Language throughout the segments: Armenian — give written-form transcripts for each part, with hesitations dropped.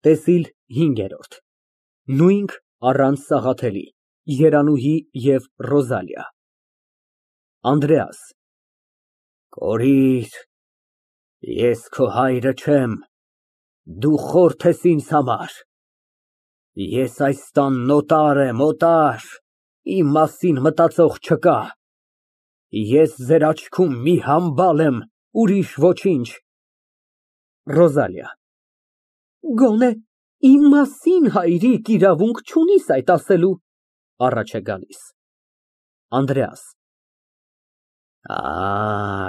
ՏԵՍԻԼ հինգերորդ նույնք առանց Սաղաթելի, Երանուհի և Ռոզալիա ԱՆԴՐԵԱՍ ֊ Կորիր, ես քո հայրը չեմ, դու խորթ ես ինձ համար, ես այս տանն օտար եմ, իմ մասին մտածող չկա, ես ձեր աչքում մի համբալ եմ, ուրիշ ոչինչ։ ՌՈԶԱԼԻԱ ֊ Գոնե իմ մասին, հայրիկ, իրավունք չունիս այդ ասելու։ (Առաջ է գալիս)։ ԱՆԴՐԵԱՍ ֊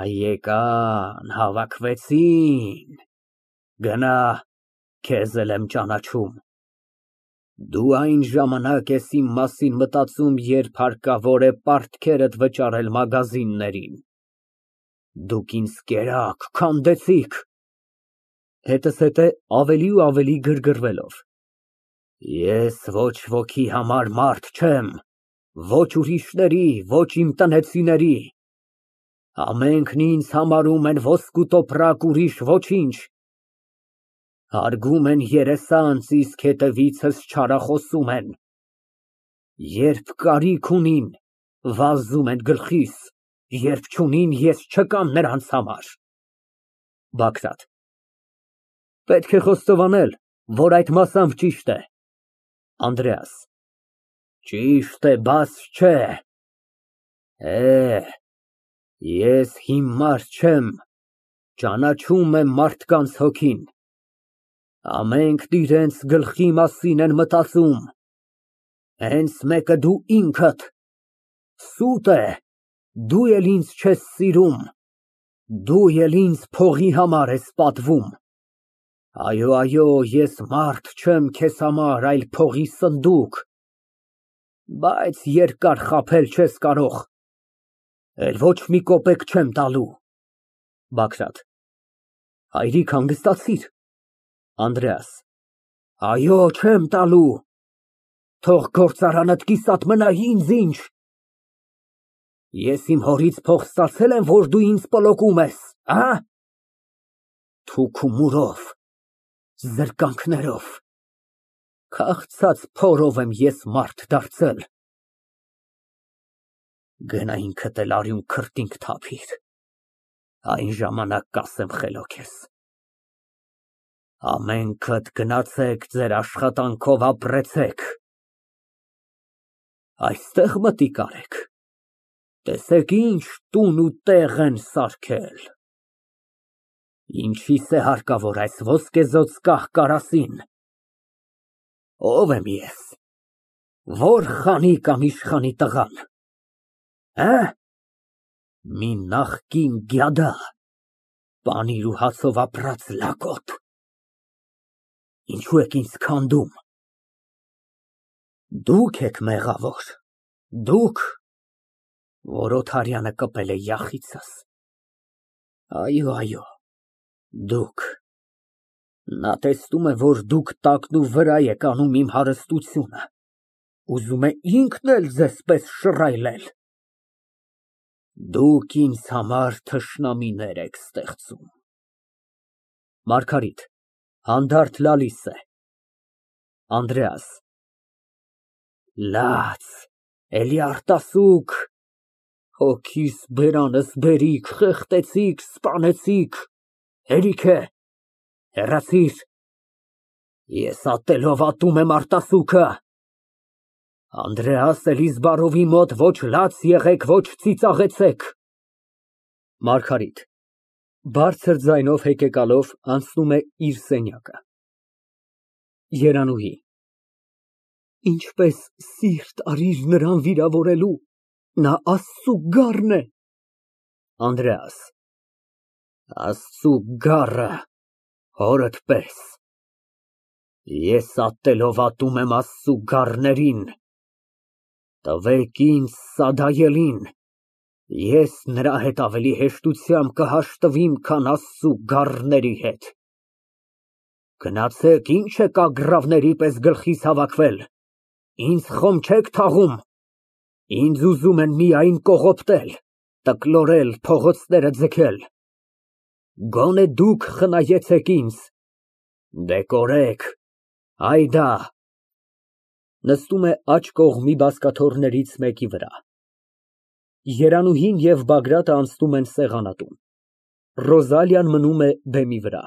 Եկան, հավաքվեցին, գնա, քեզ էլ եմ ճանաչում, դու այն ժամանակ ես իմ մասին մտածում, երբ հարկավոր է պարտքերդ վճարել մագազիններին, դուք ինձ կերաք, քանդեցիք։ (Հետզհետե ավելի ու ավելի գրգռվելով) Ես ոչ ոքի համար մարդ չեմ, ոչ ուրիշների, ոչ իմ տնեցիների, ամենքն ինձ համարում են ոսկու տոպրակ, ուրիշ ոչինչ, հարգում են երեսանց, իսկ հետևիցս չարախոսում են, երբ կարիք ունին, վազում են գլխիս, երբ չունին, ես չկամ նրանց համար։ (Բագրատ) Պետք է խոստովանել, որ այդ մասամբ ճիշտ է։ ԱՆԴՐԵԱՍ ֊ Ճիշտ է, բաս չէ։ Ես հիմար չեմ, ճանաչում եմ մարդկանց հոգին, ամենքն իրենց գլխի մասին են մտածում, հենց մեկը դու ինքդ, սուտ է, դու էլ ինձ չես սիրում, դու էլ ինձ փողի համար ես պատվում, այո, ես մարդ չեմ քեզ համար, այլ փողի սնդուկ, բայց երկար խաբել չես կարող, էլ ոչ մի կոպեկ չեմ տալու։ (Բագրատ) Հայրիկ, հանգստացիր։ ԱՆԴՐԵԱՍ ֊ Այո, չեմ տալու, թող գործարանդ կիսատ մնա, ինձ ինչ։ Ես իմ հորից փող ստացե՞լ եմ, որ դու ինձ պլոկում ես, թուք ու մուրով, զրկանքներով, քաղցած փորով եմ ես մարդ դարձել։ Գնա ինքդ էլ արյուն քրտինք թափիր, այն ժամանակ կասեմ խելոք ես։ Ամենքդ գնացեք, ձեր աշխատանքով ապրեցեք, այստեղ մտիկ արեք, տեսեք ինչ տուն ու տեղ են սարքել, ինչիս է հարկավոր այս ոսկեզօծ կահ֊կարասին, ո՞վ եմ ես, ո՞ր խանի կամ իշխանի տղան, մի նախկին գյադա, պանիր ու հացով ապրած լակոտ, ինչու եք ինձ քանդում, դուք եք մեղավոր, դուք, որ Օթարյանը կպել է յախիցս, այո, դուք, նա տեսնում է, որ դուք տակնուվրա եք անում իմ հարստությունը, ուզում է ինքն էլ ձեզ պես շռայլել, դուք ինձ համար թշնամիներ եք ստեղծում։ (Մարգարիտ հանդարտ լալիս է)։ ԱՆԴՐԵԱՍ ֊ Լաց, էլի արտասուք, հոգիս բերանս բերիք, խեղդեցիք, սպանեցիք, հերիք է, հեռացիր, ես ատելով ատում եմ արտասուքը, Անդրեաս Էլիզբարովի մոտ ոչ լաց եղեք, ոչ ծիծաղեցեք։ ՄԱՐԳԱՐԻՏ ֊ (Բարձր ձայնով հեկեկալով, անցնում է իր սենյակը)։ ԵՐԱՆՈՒՀԻ ֊ Ինչպես սիրտ արիր նրան վիրավորելու, նա Աստծու գառն է։ ԱՆԴՐԵԱՍ ֊ Աստծու գառը, հորդ պես, ես ատելով ատում եմ Աստծու գառներին, տվեք ինձ սադայելին, ես նրա հետ ավելի հեշտությամբ կհաշտվեմ, քան Աստծու գառների հետ։ Գնացեք, ինչ եք ագռավների պես գլխիս հավաքվել, ինձ խոմ չեք թաղում, ինձ ուզում են միայն կողոպտել, տկլորել, փողոցները ձգել, գոնե դուք խնայեցեք ինձ, դե կորեք, Հայդա։ (Նստում է աջ կողմի բազկաթոռներից մեկի վրա)։ Երանուհին և Բագրատը անցնում են սեղանատուն, Ռոզալիան մնում է բեմի վրա։